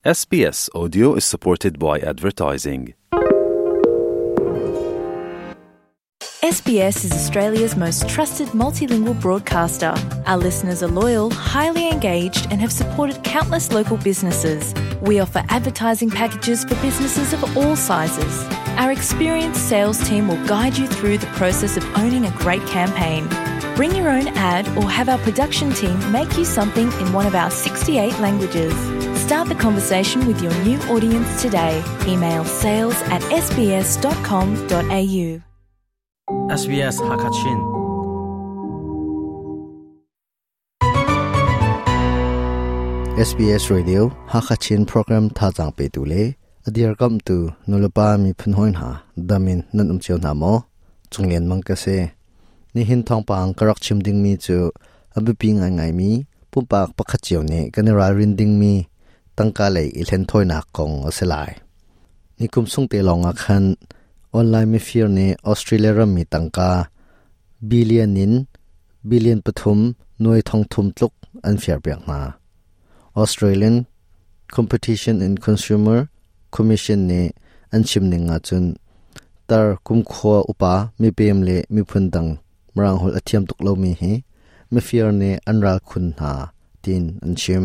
SBS Audio is supported by advertising. SBS is Australia's most trusted multilingual broadcaster. Our listeners are loyal, highly engaged, and have supported countless local businesses. We offer advertising packages for businesses of all sizes. Our experienced sales team will guide you through the process of owning a great campaign. Bring your own ad or have our production team make you something in one of our 68 languages. Start the conversation with your new audience today. Email sales at sbs.com.au. SBS Hakachin SBS Radio Hakachin program thazang pe tu le adir kam tu nulapa mi phunhoin ha damin nan um cheu na mo chunglen mang ka se Nihin thawngpang ka rak chim dingmi cu a biapi ngaingaimi pumpak pakhat cio nih kan i ralrin dingmi tangka lei i hlenthawinak kong a si lai. Nikum sung te lawngah khan online mifir nih Australia rammi tangka billion in billion pathum nuai thong thum tluk an fiarpiak hna. Australian Competition and Consumer Commission nih an chim ning ahcun tar kumkhua upa mipem le miphun dang Mirang holh a thiam tuk lomi hi mifir nih an ral khun hna tiin an chim.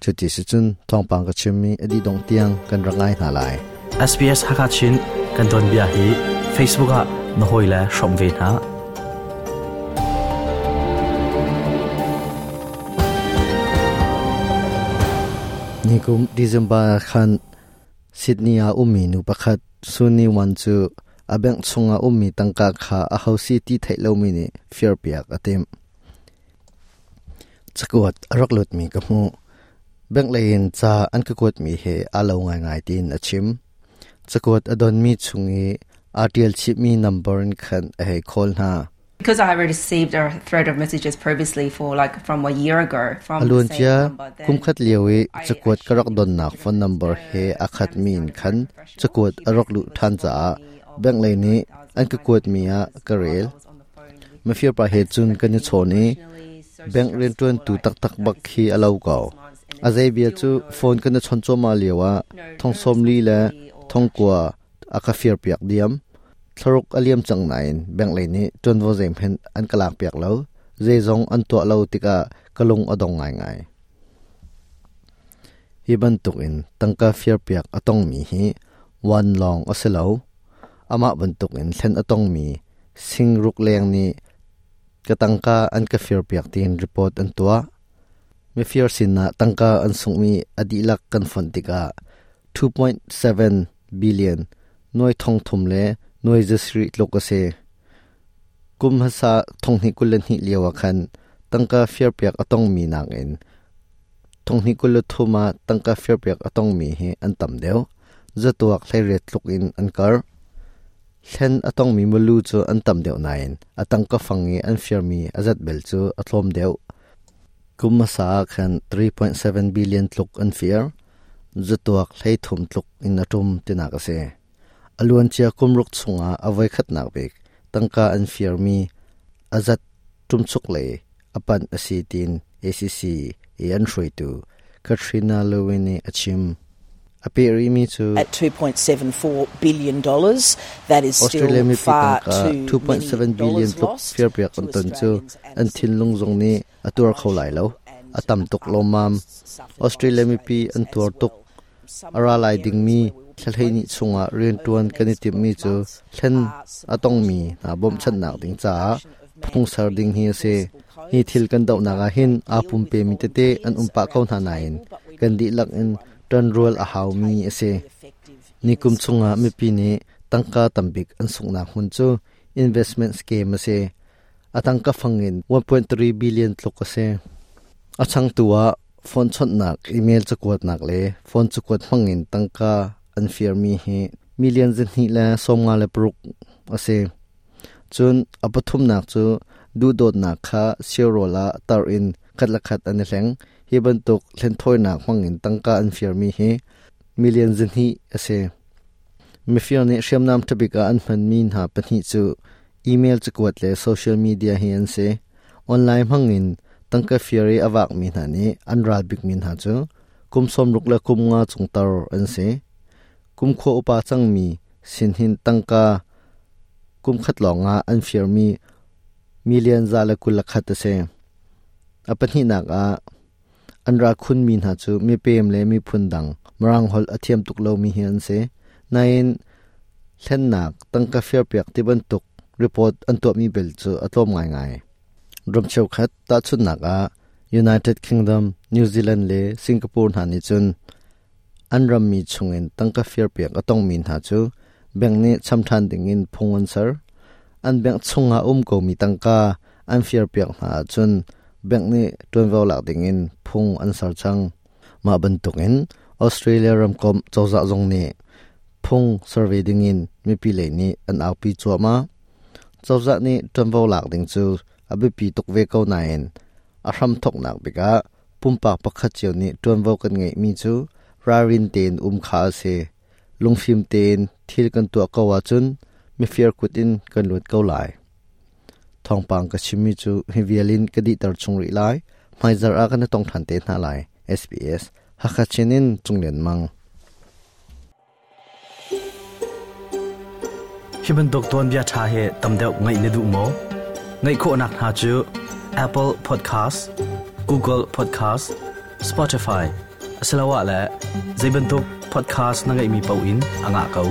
Cuti si cun thawngpang ka chimmi a dih dongh tiang kan rak ngai hna lai. SBS Hakachin kan tuanbia hi Facebook ah na hawile hrawm ve hna. Nikum December khan Sydney ah ummi nu pakhat Sunni Wan cu a bank chungah ummi tangka kha a ho si ti theih lomi nih firpiak a timh. Cakuat a rak lutmi ka hmuh. Bank lei in ca an ka kuatmi he aa lo ngaingai tiin a chim. Cakuat a donmi chung i aa ṭial chihmi number in khan a hei call hna. Because I received a thread of messages previously for like from a year ago from A the same luancia number, then kumkhat lio i I cakuat ka rak assumed it was donnak phone legitimate. number he The aa khatmi scammer in sounded khan very professional. cakuat He a rak basically luh was ṭhan informing caah me of bank lei nih an ka $9,900 kuatmi ah ka whilst rel. I was on the phone with Mafir him. pa he And cun kan i spoke to him chawn i professionally, so bank rianṭuantu stressful, like taktak that bak this khi has a been lo six ko. months and A there's zei bia still cu no phone kan i chawnh cuahmah lioah no thong no sawm li le responsibility or thong action. kua a ka firpiak diam. Thlaruk a liam cang nain bank lei nih ṭuanvo zeihmanh an ka lakpiak lo. Zeizong an tuah lo tikah ka lung a dong ngaingai. Hi bantukin tangka firpiak a tongmi hi wan lawng a si lo. Amah bantukin thlen a tongmi singruk leng nih ka tangka an ka firpiak tiin report an tuah. Mifir sinah tangka an sunghmi a dihlak kan fonh tikah 2.7 billion nuai thong thum le nuai zasarih tluk a si. Kum hmasa thonghnih 22 lio ah khan tangka firpiak a tongmi nakin thonghnih 23 ah tangka firpiak a tongmi hi an tam deuh. Zatuak 18 tluk in an karh. Thlen a tongmi milu cu an tam deuh nain a tangka fang i an firmi a zat bel cu a tlawm deuh. Kum hmasa ah khan 3.7 billion tluk an fir. Zatuak 13 tluk in a ṭum tinak a si. A luancia kum ruk chungah a voikhatnak bik tangka an firmi a zat ṭumchuk lei a panh a si tiin ACC i an hruaitu Katrina Lewin nih a chim. A peh rihmi cu At $2.74 billion, that is still Australia mipi far tangka too many 2.7 billion dollars tluk lost firpiak to an ton cu Australians and an thinlung zong nih a tuar kho lai lo. emotional and A tam tuk other lawmmam. costs suffered by Australia mipi Australians an as tuar tuk. well. Some A of ra the lai areas dingmi where we will be thlahleihnih focusing chungah over rianṭuan the kan i next timhmi 12 cu months thlen are a tongmi supporting hna bawmhchanhnak the ding caah introduction of phungsar mandatory ding hi a si. enforceable Hi codes. thil kan We dohnak don't ah hin aa deal with pumpemi tete an volunteers um pah ko around hna the nain table, but we kan need dihlak in everyone ṭanrual a around the haumi table a to si. be effective in Nikum chungah response. mipi nih tangka tambik an sunghnak hmun cu investment scheme a si. A tangka fang in 1.3 billion tluk a si. A changtu ah phone chawnhnak, email cakuatnak le phone cakuat hmangin tangka an firmi hi million 2 le 56 a si. Cun a pathumnak cu duhdawtnak kha siarawl ah tar in khat le khat an i hleng. Hi bantuk hlenthawinak hmangin tangka an firmi hi million 2 a si. Mifir nih hriamnam ṭhabik ah an hmanmi hna pahnih cu email cakuat le social media hi an si. Online hmangin tangka fir i a vakmi hna nih an ral bikmi hna cu Kum 60 le kum 5 chung tar an si. Kum khua upa cangmi sin hin tangka kum khat lawngah an firmi million 121 a si. A pahnihnak ah an ra khunmi hna cu mipem le miphun dang Mirang holh a thiam tuk lomi hi an si. Nain hlennak tangka firpiak ti bantuk report an tuahmi bel cu a tlawm ngaingai. Ram cheukhat tahchunhnak ah United Kingdom, New Zealand le Singapore hna nih cun an rammi chungin tangka firpiak a tongmi hna cu bank nih cham ṭhan dingin phung an ser. An bank chungah um komi tangka an firpiak hna ahcun bank nih ṭuanvo lak dingin phung an ser cang. Mah bantukin Australia ramkomh cozah zong nih phung ser ve dingin mipi lei nih an aupi cuahmah. Cozah nih ṭuanvo lak ding cu a biapi tuk ve ko nain a hramthawknak bik ah pumpak pakhat cio nih ṭuanvo kan ngeihmi cu ralrin tein um kha a si. Lungfim tein thil kan tuah ko ahcun mifir kut in kan luat ko lai. Thawngpang ka chimmi cu hi vial in ka dihter chung rih lai. Hmaizarh ah kan i tong ṭhan te hna lai. SBS Hakha Chin in Cung Lian Mang. Hi bantuk tuanbia ṭha hi tam deuh ngaih na duh maw? Ngaih khawhnak hna cu Apple Podcast, Google Podcast, Spotify asiloah le zei bantuk podcast na ngeihmi paoh in a ngah ko.